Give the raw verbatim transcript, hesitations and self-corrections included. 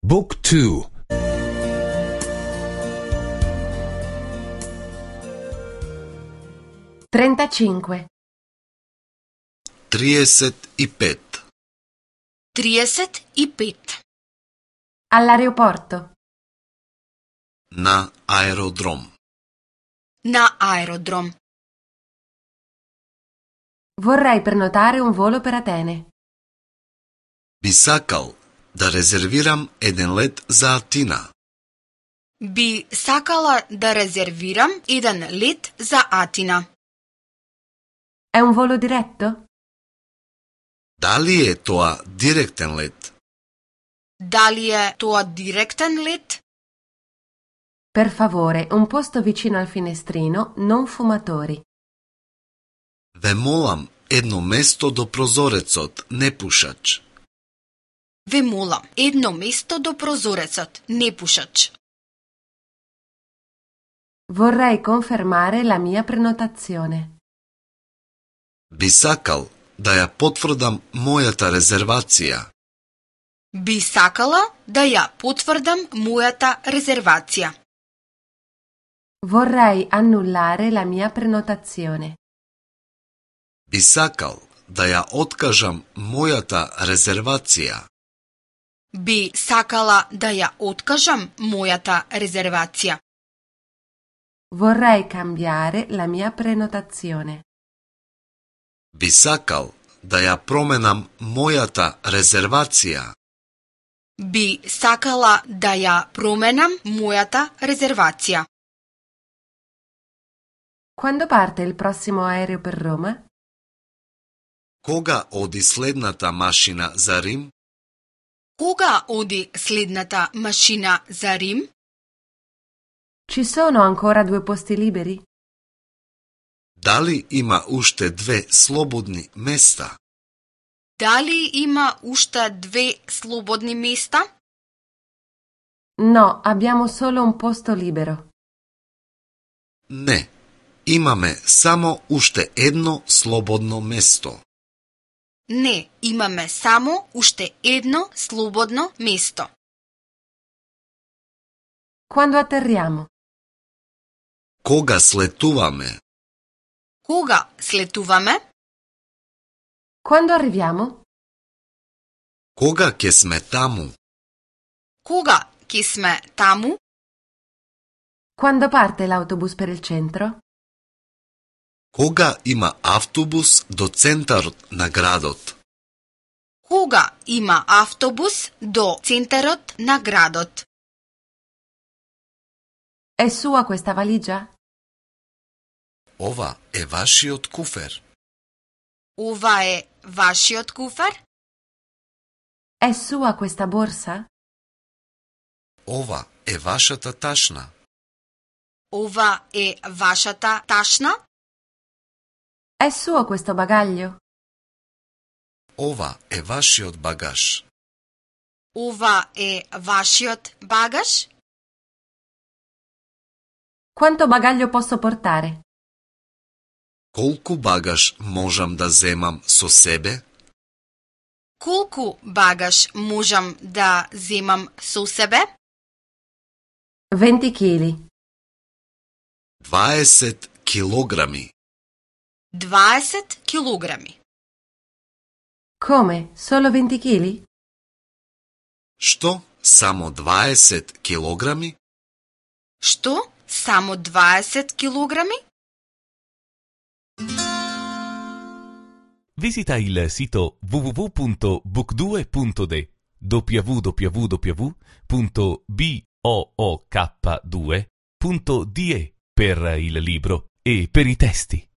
Book two. trentacinque. trideset и пет. trideset и пет. All'aeroporto. На аеродром. На аеродром. Vorrei prenotare un volo per Atene. Би сакал да резервирам еден лет за Атина. Би сакала да резервирам еден лет за Атина. È un volo diretto? Дали е тоа директен лет? Дали е тоа директен лет? Per favore, un posto vicino al finestrino, non fumatori. Ве молам едно место до прозорецот, не пушач. Ве молам едно место до прозорецот, не пушач. Vorrei confermare la mia prenotazione. Би сакал да ја потврдам мојата резервација. Би сакала да ја потврдам мојата резервација. Vorrei annullare la mia prenotazione. Би сакал да ја откажам мојата резервација. Би сакала да ја откажам мојата резервација. Vorrei cambiare la mia prenotazione. Би сакал да ја променам мојата резервација. Би сакала да ја променам мојата резервација. Quando parte il prossimo aereo per Roma? Кога оди следната машина за Рим? Кога оди следната машина за Рим? Ci sono ancora due posti liberi? Дали има уште две слободни места? Дали има уште две слободни места? No, abbiamo solo un posto libero. Не, имаме само уште едно слободно место. Не, имаме само уште едно слободно место. Quando atterriamo? Кога слетуваме? Кога слетуваме? Quando arriviamo? Кога ќе сме таму? Кога ќе сме таму? Quando parte l'autobus per il centro? Кога има автобус до центарот на градот? Кога има автобус до центарот на градот? È sua questa valigia? Ова е вашиот куфер. Ова е вашиот куфер? È sua questa borsa? Ова е вашата ташна. Ова е вашата ташна? È suo questo bagaglio? Ова е вашиот багаж. Ова е вашиот багаж? Quanto bagaglio posso portare? Колку багаж можам да земам со себе? Колку багаж можам да земам со себе? venti chili. дваесет килограми. дваесет килограми. Come? Solo venti chili? Што? Само дваесет килограми? Што? Само дваесет килограми? Visita il sito w w w punto book due punto d w w w punto book due punto d e per il libro e per i testi.